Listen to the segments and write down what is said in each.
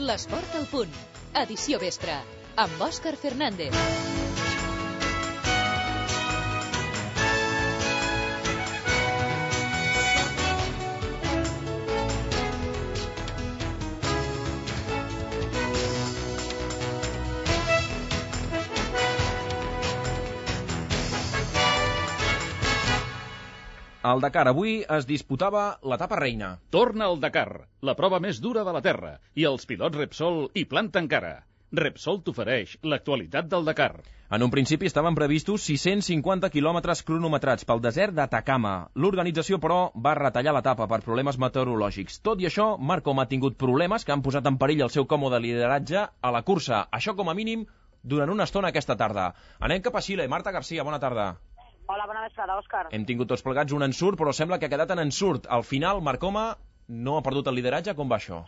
L'esport al punt. Edició vespre. Amb Òscar Fernández. Al Dakar avui es disputava l'etapa reina. Torna al Dakar, la prova més dura de la Terra, i els pilots Repsol hi planten cara. Repsol t'ofereix l'actualitat del Dakar. En un principi estaven previstos 650 quilòmetres cronometrats pel desert d'Atacama. L'organització, però, va retallar l'etapa per problemes meteorològics. Tot i això, Marcom ha tingut problemes que han posat en perill el seu còmode lideratge a la cursa. Això, com a mínim, durant una estona aquesta tarda. Anem cap a Xile. Marta García, bona tarda. Hola, bona vesprada, Òscar. Hem tingut tots plegats un ensurt, però sembla que ha quedat en ensurt. Al final, Marcoma no ha perdut el lideratge. Com va això?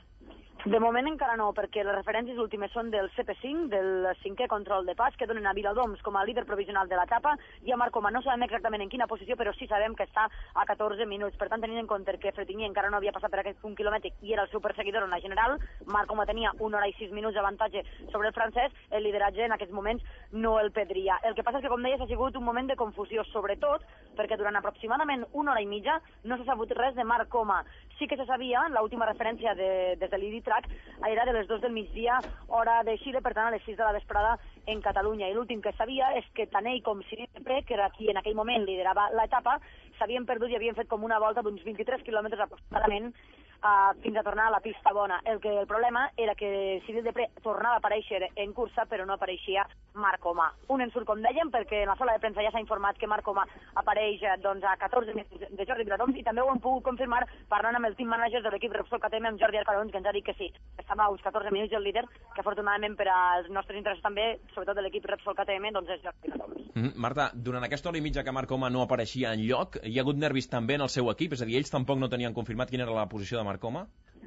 De moment encara no, perquè les referències últimes són del CP5, del 5è control de pas, que donen a Viladoms com a líder provisional de l'etapa, i a Marcoma no sabem exactament en quina posició, però sí sabem que està a 14 minuts. Per tant, tenint en compte que Fretinier encara no havia passat per aquest punt quilomètric i era el seu perseguidor en la general, Marcoma tenia 1 hora i 6 minuts d'avantatge sobre el francès, el lideratge en aquests moments no el perdria. El que passa és que, com deies, ha sigut un moment de confusió, sobretot perquè durant aproximadament 1 hora i mitja no s'ha sabut res de Marcoma. Sí que se sabia, l'última referència des de l'IDITRAC era de les 2 del migdia, hora de Xile, per tant a les 6 de la vesprada en Catalunya. I l'últim que sabia és que tant ell com Cyril Depré, que era qui en aquell moment liderava l'etapa, s'havien perdut i havien fet com una volta d'uns 23 quilòmetres aproximadament fins a tornar a la pista bona. El problema era que Cyril Depré tornava a aparèixer en cursa, però no apareixia Marcoma. Un ensurt, com dèiem, perquè en la sala de premsa ja s'ha informat que Marcoma apareix a 14 minuts de Jordi Viladoms, i també ho hem pogut confirmar parlant amb el team manager de l'equip Repsol KTM, amb Jordi Arcarons, que ens ha dit que sí, estava a uns 14 minuts el líder, que afortunadament per als nostres interessos també, sobretot de l'equip Repsol KTM, doncs és Jordi Viladoms. Marta, durant aquesta hora i mitja que Marcoma no apareixia enlloc, hi ha hagut nervis també en el seu equip? És a dir, ells tampoc no tenien confirmat quina era la posició de Marcoma?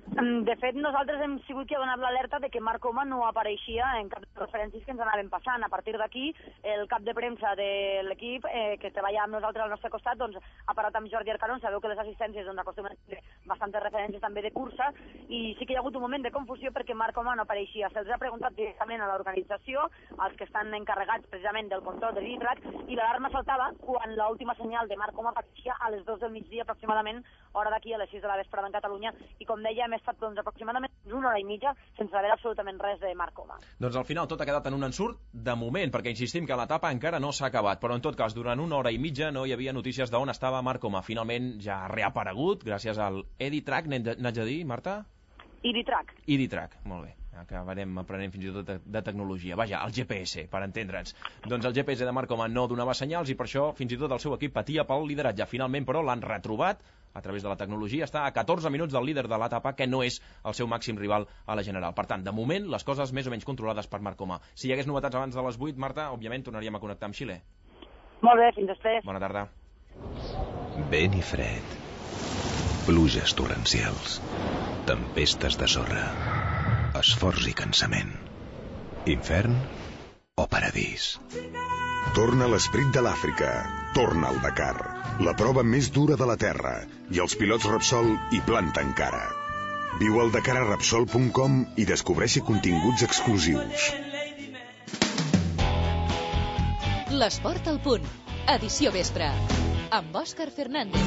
De fet, nosaltres hem sigut qui ha donat l'alerta de que Marcoma no apareixia en cap de les referències que ens anaven passant. A partir d'aquí, el cap de premsa de l'equip, que treballa amb nosaltres al nostre costat, doncs, ha parat amb Jordi Arcarons. Sabeu que les assistències acostumen a tenir bastantes referències també de cursa, i sí que hi ha hagut un moment de confusió perquè Marcoma no apareixia. Se'ls ha preguntat directament a l'organització, als que estan encarregats precisament del control de l'IDRAC, i l'alarma saltava quan l'última senyal de Marcoma apareixia a les 2 del migdia aproximadament, hora d'aquí a les 6 de la vesprada en Catalunya, i com deia, hem estat aproximadament 1 hora i mitja sense saber absolutament res de Marcoma. Doncs al final tot ha quedat en un ensurt de moment, perquè insistim que l'etapa encara no s'ha acabat, però en tot cas durant 1 hora i mitja no hi havia notícies d'on estava Marcoma. Finalment ja ha reaparegut gràcies al EDITRAC, n'haig de dir, Marta? EDITRAC, molt bé. Acabarem aprenent fins i tot de tecnologia. Vaja, el GPS, per entendre'ns. Doncs el GPS de Marcoma no donava senyals i per això fins i tot el seu equip patia pel lideratge. Finalment, però, l'han retrobat a través de la tecnologia. Està a 14 minuts del líder de l'etapa, que no és el seu màxim rival a la general. Per tant, de moment, les coses més o menys controlades per Marcoma. Si hi hagués novetats abans de les 8, Marta, òbviament tornaríem a connectar amb Xile. Molt bé, fins després. Bona tarda. Vent i fred, pluges torrencials, tempestes de sorra, esforç i cansament, infern o paradís. Torna l'esperit de l'Àfrica, torna al Dakar, la prova més dura de la Terra, i els pilots Repsol hi planten cara. Viu al Dakar a Repsol.com i descobreixi continguts exclusius. L'esport al punt. Edició vespre. Amb Òscar Fernández.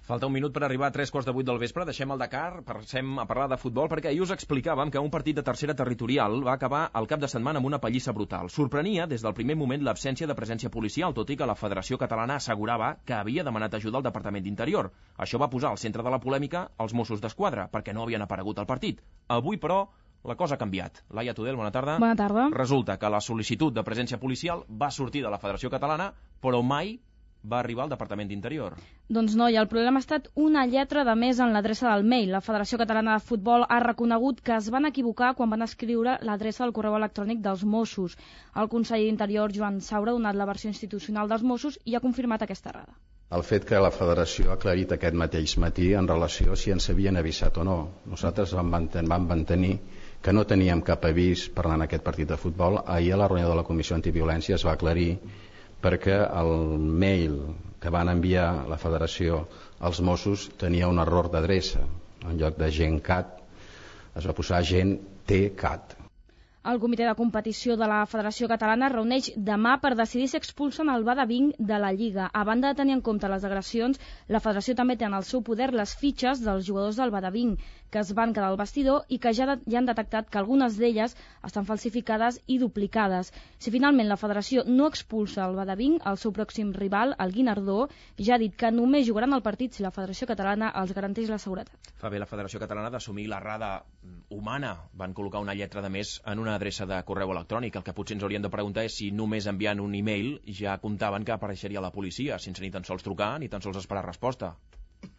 Falta un minut per arribar a 7:45 del vespre. Deixem el Dakar, passem a parlar de futbol, perquè ahir us explicàvem que un partit de tercera territorial va acabar el cap de setmana amb una pallissa brutal. Sorprenia des del primer moment l'absència de presència policial, tot i que la Federació Catalana assegurava que havia demanat ajuda al Departament d'Interior. Això va posar al centre de la polèmica els Mossos d'Esquadra, perquè no havien aparegut al partit. Avui, però, la cosa ha canviat. Laia Tudel, bona tarda. Bona tarda. Resulta que la sol·licitud de presència policial va sortir de la Federació Catalana, però mai va arribar al Departament d'Interior. Doncs no, i el problema ha estat una lletra de més en l'adreça del mail. La Federació Catalana de Futbol ha reconegut que es van equivocar quan van escriure l'adreça del correu electrònic dels Mossos. El conseller d'Interior, Joan Saura, ha donat la versió institucional dels Mossos i ha confirmat aquesta errada. El fet que la Federació ha aclarit aquest mateix matí en relació a si ens havien avisat o no. Nosaltres vam mantenir que no teníem cap avís parlant d'aquest partit de futbol. Ahir a la reunió de la Comissió Antiviolència es va aclarir perquè el mail que van enviar la Federació als Mossos tenia un error d'adreça. En lloc de gencat es va posar gent TCAT. El comitè de competició de la Federació Catalana reuneix demà per decidir si expulsen el Badabing de la Lliga. A banda de tenir en compte les agressions, la Federació també té en el seu poder les fitxes dels jugadors del Badabing, que es van quedar al vestidor i que ja han detectat que algunes d'elles estan falsificades i duplicades. Si finalment la Federació no expulsa el Badabing, el seu pròxim rival, el Guinardó, ja ha dit que només jugaran el partit si la Federació Catalana els garanteix la seguretat. Fa bé la Federació Catalana d'assumir l'errada humana. Van col·locar una lletra de més en una adreça de correu electrònic. El que potser ens hauríem de preguntar és si només enviant un e-mail ja comptaven que apareixeria la policia, sense ni tan sols trucar ni tan sols esperar resposta.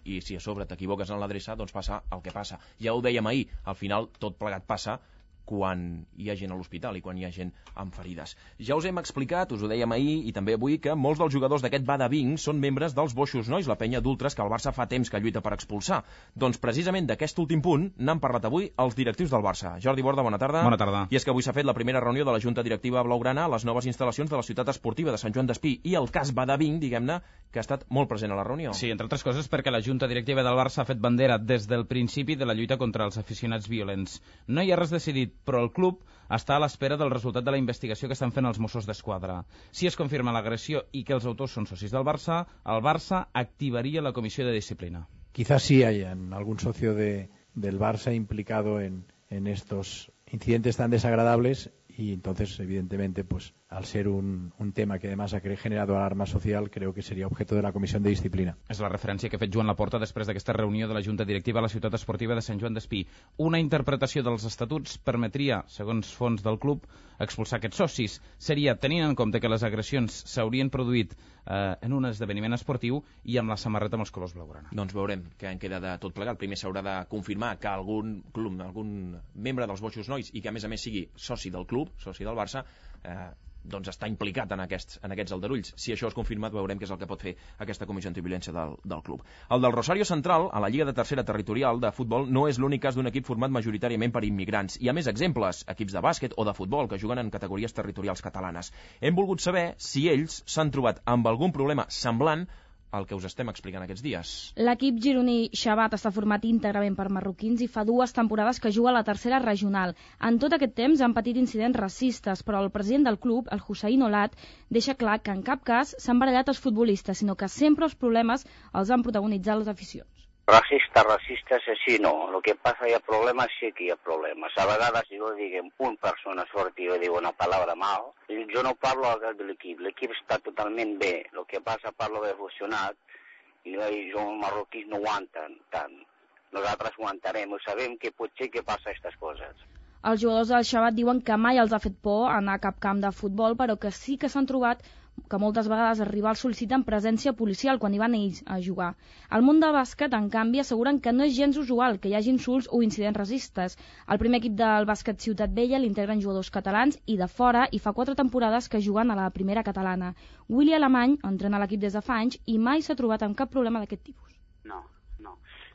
I si a sobre t'equivoques en l'adreça, doncs passa el que passa. Ja ho dèiem ahir, al final tot plegat passa quan hi ha gent a l'hospital i quan hi ha gent amb ferides. Ja us hem explicat, us ho dèiem ahir i també avui, que molts dels jugadors d'aquest Badabing són membres dels Boixos Nois, la penya d'ultres que el Barça fa temps que lluita per expulsar. Doncs precisament d'aquest últim punt n'han parlat avui els directius del Barça. Jordi Borda, bona tarda. Bona tarda. I és que avui s'ha fet la primera reunió de la Junta Directiva Blaugrana a les noves instal·lacions de la ciutat esportiva de Sant Joan d'Espí i el cas Badabing, diguem-ne, que ha estat molt present a la reunió. Sí, entre altres coses perquè la Junta Directiva del Barça ha fet bandera des del principi de la lluita contra els aficionats violents. No hi ha res decidit, però el club està a l'espera del resultat de la investigació que estan fent els Mossos d'Esquadra. Si es confirma l'agressió i que els autors són socis del Barça, el Barça activaria la comissió de disciplina. Quizás sí haya algún socio del Barça implicado en estos incidentes tan desagradables y entonces, evidentemente, pues al ser un tema que además ha generado alarma social, creo que sería objeto de la Comisión de Disciplina. És la referència que ha fet Joan Laporta després d'aquesta reunió de la Junta Directiva a la ciutat esportiva de Sant Joan d'Espí. Una interpretació dels estatuts permetria, segons fons del club, expulsar aquests socis. Seria tenint en compte que les agressions s'haurien produït en un esdeveniment esportiu i amb la samarreta amb els colors blaugrana. Doncs veurem què en queda de tot plegat. Primer s'haurà de confirmar que algun club, algun membre dels Boixos Nois i que a més sigui soci del club, soci del Barça, doncs està implicat en aquests aldarulls. Si això és confirmat, veurem què és el que pot fer aquesta comissió antiviolència del club. El del Rosario Central, a la Lliga de Tercera Territorial de futbol, no és l'únic cas d'un equip format majoritàriament per immigrants. Hi ha més exemples, equips de bàsquet o de futbol que juguen en categories territorials catalanes. Hem volgut saber si ells s'han trobat amb algun problema semblant el que us estem explicant aquests dies. L'equip gironí Xabat està format íntegrament per marroquins i fa 2 temporades que juga a la tercera regional. En tot aquest temps han patit incidents racistes, però el president del club, el Hussein Olat, deixa clar que en cap cas s'han barallat els futbolistes, sinó que sempre els problemes els han protagonitzat les aficions. Racistes així no. El que passa hi ha problemes, sí que hi ha problemes. A vegades, jo diguem, una persona sort i jo digo una paraula mal, jo no parlo al cap de l'equip. L'equip està totalment bé. El que passa parlo de funcionat i jo els marroquins no aguanten tant. Nosaltres aguantarem, sabem que potser que passa aquestes coses. Els jugadors del Xabat diuen que mai els ha fet por anar a cap camp de futbol, però que sí que s'han trobat que moltes vegades els rivals sol·liciten presència policial quan hi van ells a jugar. Al món del bàsquet, en canvi, asseguren que no és gens usual que hi hagi insults o incidents racistes. El primer equip del bàsquet Ciutat Vella l'integren jugadors catalans i de fora i fa 4 temporades que juguen a la primera catalana. Willy Alemany entrena l'equip des de fa anys i mai s'ha trobat amb cap problema d'aquest tipus. No.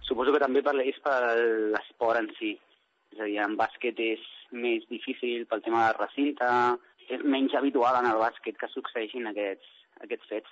Suposo que també és per l'esport en si. És a dir, en bàsquet és més difícil pel tema del recinte, és menys habitual en el bàsquet que succeeixin aquests fets,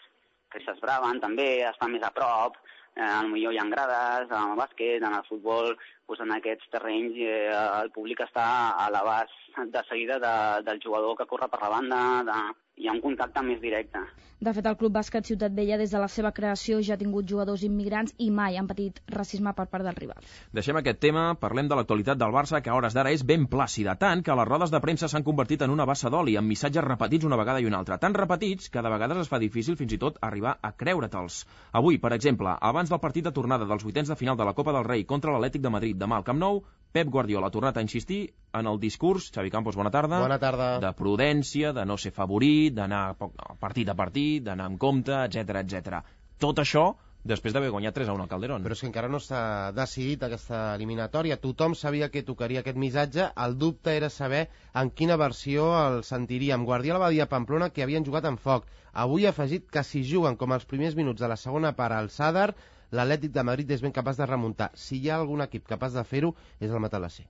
que s'esbraven també, estan més a prop, potser hi ha grades, en el bàsquet, en el futbol, doncs en aquests terrenys el públic està a l'abast de seguida del jugador que corre per la banda, hi ha un contacte més directe. De fet, el Club Bàsquet Ciutat Vella, des de la seva creació, ja ha tingut jugadors immigrants i mai han patit racisme per part dels rivals. Deixem aquest tema, parlem de l'actualitat del Barça, que a hores d'ara és ben plàcida, tant que les rodes de premsa s'han convertit en una bassa d'oli, amb missatges repetits una vegada i una altra. Tan repetits que de vegades es fa difícil fins i tot arribar a creure-te'ls. Avui, per exemple, abans del partit de tornada dels vuitens de final de la Copa del Rei contra l'Atlètic de Madrid demà al Camp Nou, Pep Guardiola ha tornat a insistir en el discurs, Xavi Campos, bona tarda, de prudència, de no ser favorit, d'anar partit a partit, d'anar amb compte, etc. Tot això després d'haver guanyat 3-1 al Calderón. Però és que encara no s'ha decidit aquesta eliminatòria. Tothom sabia que tocaria aquest missatge. El dubte era saber en quina versió el sentiríem. Guardiola va dir a Pamplona que havien jugat amb foc. Avui ha afegit que si juguen com els primers minuts de la segona part al Sadar, l'Atlètic de Madrid és ben capaç de remuntar. Si hi ha algun equip capaç de fer-ho, és el Matalassé.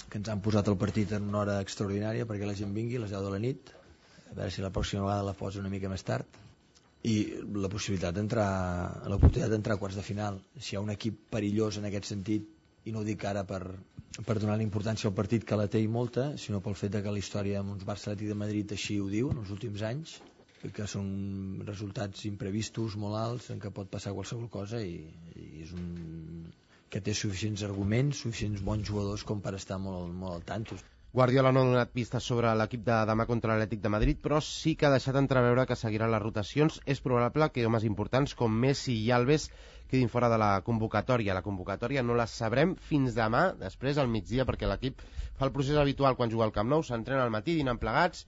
Que ens han posat el partit en una hora extraordinària perquè la gent vingui a les 10 de la nit, a veure si la pròxima vegada la posa una mica més tard, i la possibilitat d'entrar a quarts de final. Si hi ha un equip perillós en aquest sentit, i no ho dic ara per per donar la importància al partit, que la té i molta, sinó pel fet que la història amb uns Barça Atlètic de Madrid així ho diu en els últims anys, que són resultats imprevistos, molt alts, en què pot passar qualsevol cosa, i és que té suficients arguments, suficients bons jugadors com per estar molt al tanto. Guardiola no ha donat pistes sobre l'equip de demà contra l'Atlètic de Madrid, però sí que ha deixat entreveure que seguiran les rotacions. És probable que homes importants com Messi i Alves quedin fora de la convocatòria. La convocatòria no la sabrem fins demà, després al migdia, perquè l'equip fa el procés habitual quan juga al Camp Nou, s'entrena al matí, dinen plegats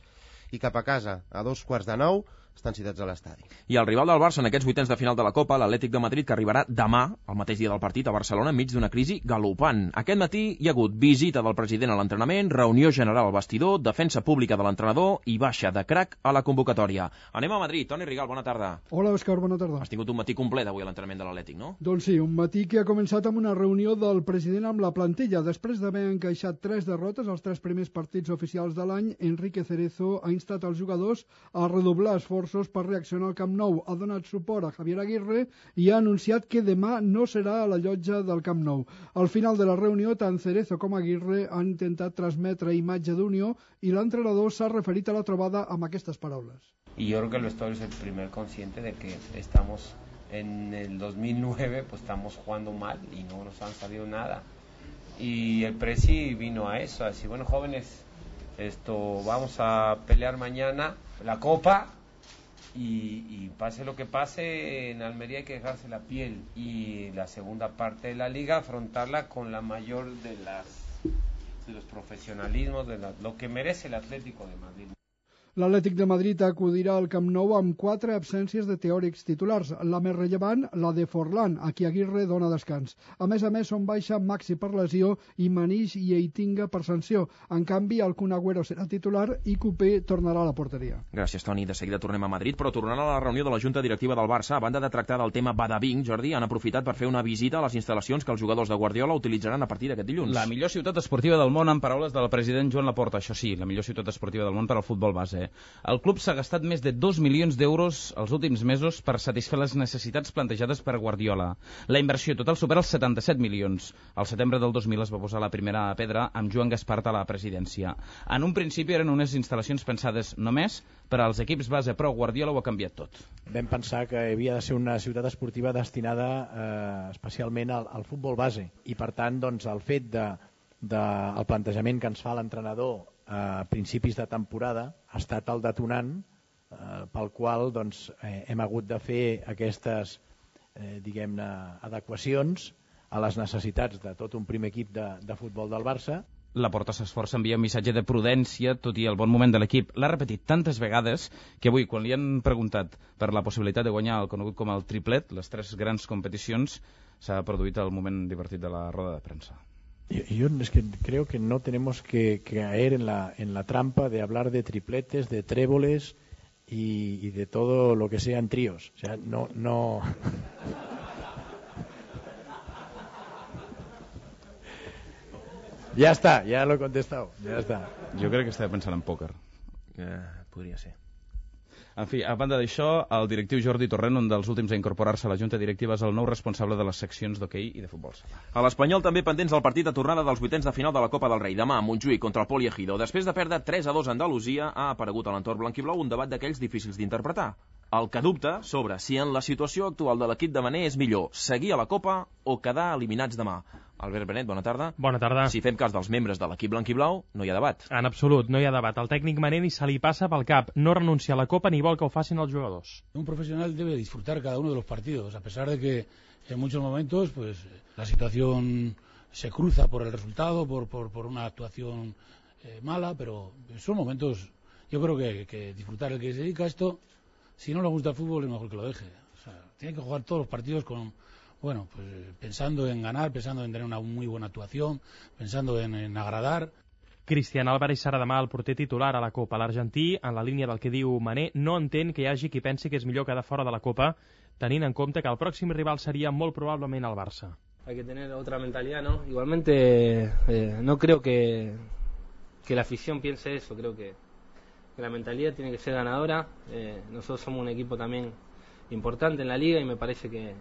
i cap a casa a 8:45 estan citats a l'estadi. I el rival del Barça en aquests vuitens de final de la Copa, l'Atlètic de Madrid, que arribarà demà, el mateix dia del partit, a Barcelona, enmig d'una crisi galopant. Aquest matí hi ha hagut visita del president a l'entrenament, reunió general al vestidor, defensa pública de l'entrenador i baixa de crac a la convocatòria. Anem a Madrid. Toni Rigal, bona tarda. Hola, Òscar, bona tarda. Has tingut un matí complet avui a l'entrenament de l'Atlètic, no? Doncs sí, un matí que ha començat amb una reunió del president amb la plantilla. Després d'haver encaixat 3 derrotes als 3 primers partits oficials de l'any, Enrique Cerezo ha instat els jugadors a redoblar esforços per reaccionar al Camp Nou, ha donat suport a Javier Aguirre i ha anunciat que demà no serà a la llotja del Camp Nou. Al final de la reunió, tant Cerezo com Aguirre han intentat transmetre imatge d'unió i l'entrenador s'ha referit a la trobada amb aquestes paraules. Y yo creo que el vestuario es el primer consciente de que estamos en el 2009, pues estamos jugando mal y no nos han salido nada. Y el Presi vino a eso, a decir, bueno, jóvenes, vamos a pelear mañana la Copa. Y pase lo que pase, en Almería hay que dejarse la piel, y la segunda parte de la liga afrontarla con la mayor de los profesionalismos, lo que merece el Atlético de Madrid. L'Atlètic de Madrid acudirà al Camp Nou amb 4 absències de teòrics titulars. La més rellevant, la de Forlán, a qui Aguirre dona descans. A més, són baixa Maxi per lesió i Manix i Eitinga per sanció. En canvi, el Kun Agüero serà titular i Coupé tornarà a la porteria. Gràcies, Toni. De seguida tornem a Madrid, però tornant a la reunió de la Junta Directiva del Barça, a banda de tractar del tema Badabing, Jordi, han aprofitat per fer una visita a les instal·lacions que els jugadors de Guardiola utilitzaran a partir d'aquest dilluns. La millor ciutat esportiva del món, en paraules del president Joan Laporta. Això sí, la millor ciutat esportiva del món per al futbol base. El club s'ha gastat més de 2 milions d'euros els últims mesos per satisfer les necessitats plantejades per Guardiola. La inversió total supera els 77 milions. Al setembre del 2000 es va posar la primera pedra amb Joan Gaspart a la presidència. En un principi eren unes instal·lacions pensades només per als equips base, però Guardiola ho ha canviat tot. Vam pensar que havia de ser una ciutat esportiva destinada especialment al futbol base, i per tant doncs, el fet del plantejament que ens fa l'entrenador a principis de temporada ha estat el detonant pel qual doncs, hem hagut de fer aquestes diguem-ne adequacions a les necessitats de tot un primer equip de futbol del Barça. Laporta s'esforça a enviar un missatge de prudència, tot i el bon moment de l'equip. L'ha repetit tantes vegades que avui, quan li han preguntat per la possibilitat de guanyar el conegut com el triplet, les 3 grans competicions, s'ha produït el moment divertit de la roda de premsa. Yo es que creo que no tenemos que caer en la trampa de hablar de tripletes, de tréboles y de todo lo que sean tríos. O sea, no. Ya está, ya lo he contestado. Ya está. Jo crec que estava pensant en pòquer. Podria ser. En fi, a banda d'això, el directiu Jordi Torrent, un dels últims a incorporar-se a la Junta Directiva, és el nou responsable de les seccions d'hoquei i de futbol sala. A l'Espanyol també pendents del partit de tornada dels vuitens de final de la Copa del Rei. Demà, Montjuïc contra el Poli Ejido. Després de perdre 3-2 a Andalusia, ha aparegut a l'entorn blanquiblau un debat d'aquells difícils d'interpretar. El que dubta sobre si en la situació actual de l'equip de Mané és millor seguir a la Copa o quedar eliminats demà. Albert Benet, bona tarda. Bona tarda. Si fem cas dels membres de l'equip blanquiblau, no hi ha debat. En absolut, no hi ha debat. El tècnic Mané ni se li passa pel cap. No renuncia a la Copa ni vol que ho facin els jugadors. Un profesional debe disfrutar cada uno de los partidos, a pesar de que en muchos momentos pues la situación se cruza por el resultado, por una actuación mala, pero son momentos, yo creo que disfrutar. El que se dedica a esto, si no le gusta el fútbol, es mejor que lo deje. O sea, tiene que jugar todos los partidos con... Bueno, pues pensando en ganar, pensando en tener una muy buena actuación, pensando en agradar. Cristian Álvarez serà demà el porter titular a la Copa. L'Argentí, en la línia del que diu Mané, no entén que hi hagi qui pensi que és millor quedar fora de la Copa, tenint en compte que el pròxim rival seria molt probablement el Barça. Hay que tener otra mentalidad, ¿no? Igualmente no creo que la afición piense eso, creo que la mentalidad tiene que ser ganadora. Nosotros somos un equipo también importante en la liga y me parece que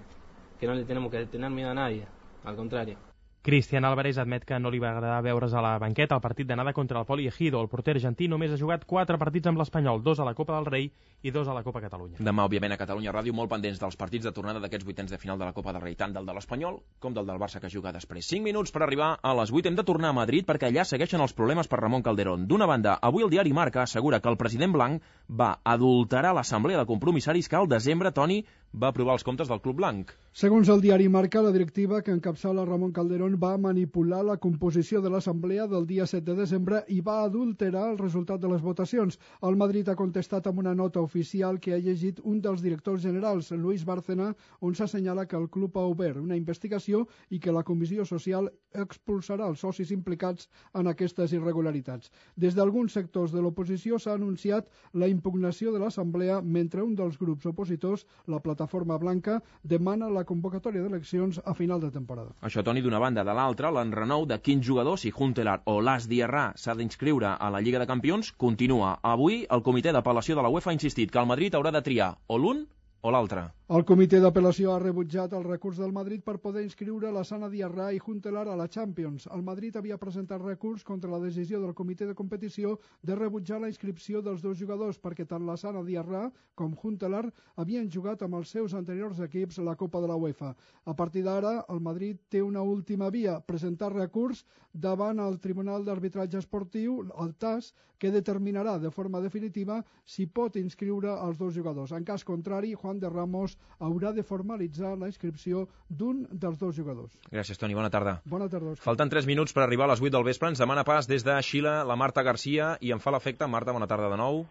no le tenemos que tener miedo a nadie, al contrario. Cristian Álvarez admet que no li va agradar veure's a la banqueta al partit d'anada contra el Poli Ejido. El porter argentí només ha jugat 4 partits amb l'Espanyol, 2 a la Copa del Rei i 2 a la Copa Catalunya. Demà, òbviament, a Catalunya Ràdio, molt pendents dels partits de tornada d'aquests vuitens de final de la Copa del Rei, tant del de l'Espanyol com del Barça que juga després. 5 minuts per arribar a les 8. Hem de tornar a Madrid perquè allà segueixen els problemes per Ramon Calderón. D'una banda, avui el diari Marca assegura que el president blanc va adulterar l'assemblea de compromissaris que al desembre, Toni, va aprovar els comptes del Club Blanc. Segons el diari Marca, la directiva que encapçala Ramon Calderón va manipular la composició de l'assemblea del dia 7 de desembre i va adulterar el resultat de les votacions. El Madrid ha contestat amb una nota oficial que ha llegit un dels directors generals, Luis Bárcena, on s'assenyala que el club ha obert una investigació i que la Comissió Social expulsarà els socis implicats en aquestes irregularitats. Des d'alguns sectors de l'oposició s'ha anunciat la impugnació de l'assemblea mentre un dels grups opositors, la Plataforma Blanca, demana la convocatòria d'eleccions a final de temporada. Això, Toni, d'una banda. De l'altra, l'enrenou de quin jugador, si Huntelaar o Las Diarra s'ha d'inscriure a la Lliga de Campions, continua. Avui, el comitè d'apel·lació de la UEFA ha insistit que el Madrid haurà de triar o l'un o l'altre. El comitè d'apel·lació ha rebutjat el recurs del Madrid per poder inscriure la Sana Diarra i Huntelaar a la Champions. El Madrid havia presentat recurs contra la decisió del comitè de competició de rebutjar la inscripció dels dos jugadors perquè tant la Sana Diarra com Huntelaar havien jugat amb els seus anteriors equips a la Copa de la UEFA. A partir d'ara, el Madrid té una última via, presentar recurs davant el Tribunal d'Arbitratge Esportiu, el TAS, que determinarà de forma definitiva si pot inscriure els dos jugadors. En cas contrari, Juan de Ramos haurà de formalitzar la inscripció d'un dels dos jugadors. Gràcies, Toni. Bona tarda. Bona tarda. Falten 3 minuts per arribar a les 8 del vespre. Ens demana pas des de Xile la Marta Garcia i em fa l'efecte, Marta, bona tarda de nou.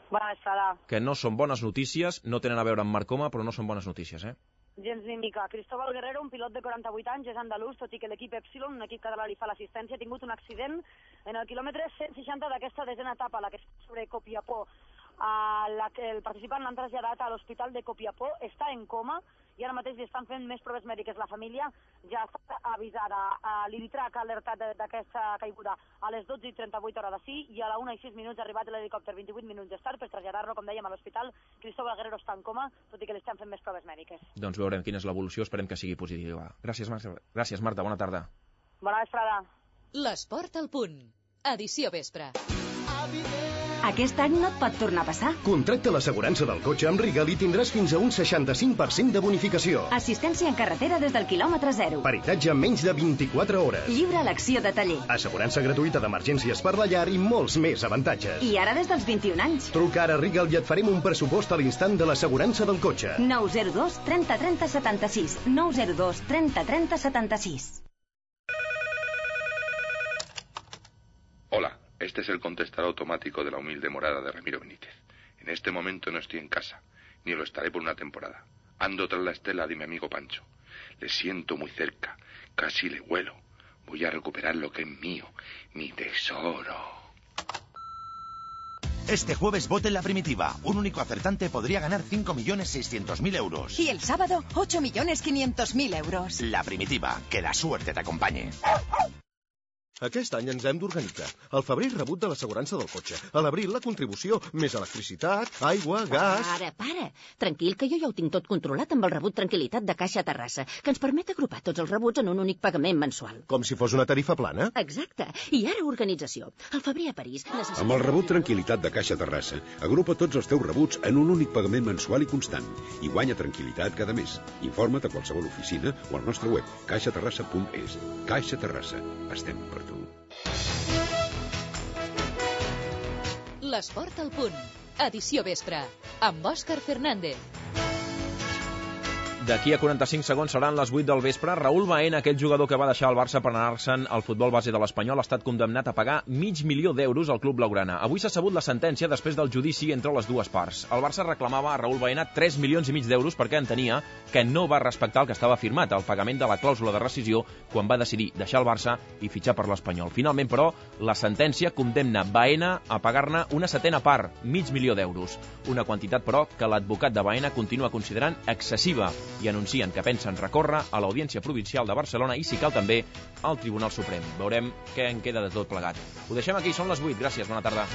Bona tarda. Que no són bones notícies, no tenen a veure amb Marcoma, però no són bones notícies, Gens ni mica. Cristóbal Guerrero, un pilot de 48 anys, és andalús, tot i que l'equip Epsilon, un equip català, li fa l'assistència, ha tingut un accident en el quilòmetre 160 d'aquesta desena etapa, la que és sobre Copiapó. El participant l'han traslladat a l'hospital de Copiapó, està en coma i ara mateix li estan fent més proves mèdiques. La família ja està avisada. L'Iritrac ha alertat d'aquesta caiguda a les 12:38 hora d'ací i a la 1:06 ha arribat l'helicòpter 28 minuts més tard per traslladar-lo, com dèiem, a l'hospital. Cristóbal Guerrero està en coma, tot i que li estan fent més proves mèdiques. Doncs veurem quina és l'evolució, esperem que sigui positiva. Gràcies, Marta, bona tarda. Bona vesprada. L'esport al punt. Edició vespre. Aquest any no et pot tornar a passar. Contracta l'assegurança del cotxe amb Rigal i tindràs fins a un 65% de bonificació. Assistència en carretera des del quilòmetre 0. Peritatge en menys de 24 hores. Lliure elecció de taller. Assegurança gratuïta d'emergències per la llar i molts més avantatges. I ara des dels 21 anys. Truca ara a Rigal i et farem un pressupost a l'instant de l'assegurança del cotxe. 902 30 30 76. 902 30 30 76. Hola. Este es el contestador automático de la humilde morada de Ramiro Benítez. En este momento no estoy en casa, ni lo estaré por una temporada. Ando tras la estela de mi amigo Pancho. Le siento muy cerca, casi le huelo. Voy a recuperar lo que es mío, mi tesoro. Este jueves vote en La Primitiva. Un único acertante podría ganar 5.600.000 euros. Y el sábado, 8.500.000 euros. La Primitiva, que la suerte te acompañe. Aquest any ens hem d'organitzar. Al febrer rebut de l'assegurança del cotxe. A l'abril la contribució, més electricitat, aigua, gas... Para. Tranquil, que jo ja ho tinc tot controlat amb el rebut Tranquilitat de Caixa Terrassa, que ens permet agrupar tots els rebuts en un únic pagament mensual. Com si fos una tarifa plana? Exacte. I ara organització. Al febrer a París necessitem... Amb el rebut Tranquilitat de Caixa Terrassa, agrupa tots els teus rebuts en un únic pagament mensual i constant. I guanya tranquil·litat cada mes. Informa't a qualsevol oficina o al nostre web, caixaterrassa.es. Caixa Terrassa. Estem per tu. L'esport al punt. Edició vespre. Amb Òscar Fernández. D'aquí a 45 segons seran les 8 del vespre. Raúl Baena, aquell jugador que va deixar el Barça per anar-se'n al futbol base de l'Espanyol, ha estat condemnat a pagar $500.000 al club blaugrana. Avui s'ha sabut la sentència després del judici entre les dues parts. El Barça reclamava a Raúl Baena $3,5 milions perquè entenia que no va respectar el que estava firmat, el pagament de la clàusula de rescisió, quan va decidir deixar el Barça i fitxar per l'Espanyol. Finalment, però, la sentència condemna Baena a pagar-ne una setena part, $500.000. Una quantitat, però, que l'advocat de Baena continua considerant excessiva i anuncien que pensen recórrer a l'Audiència Provincial de Barcelona i, si cal, també al Tribunal Suprem. Veurem què en queda de tot plegat. Ho deixem aquí, són les 8. Gràcies, bona tarda.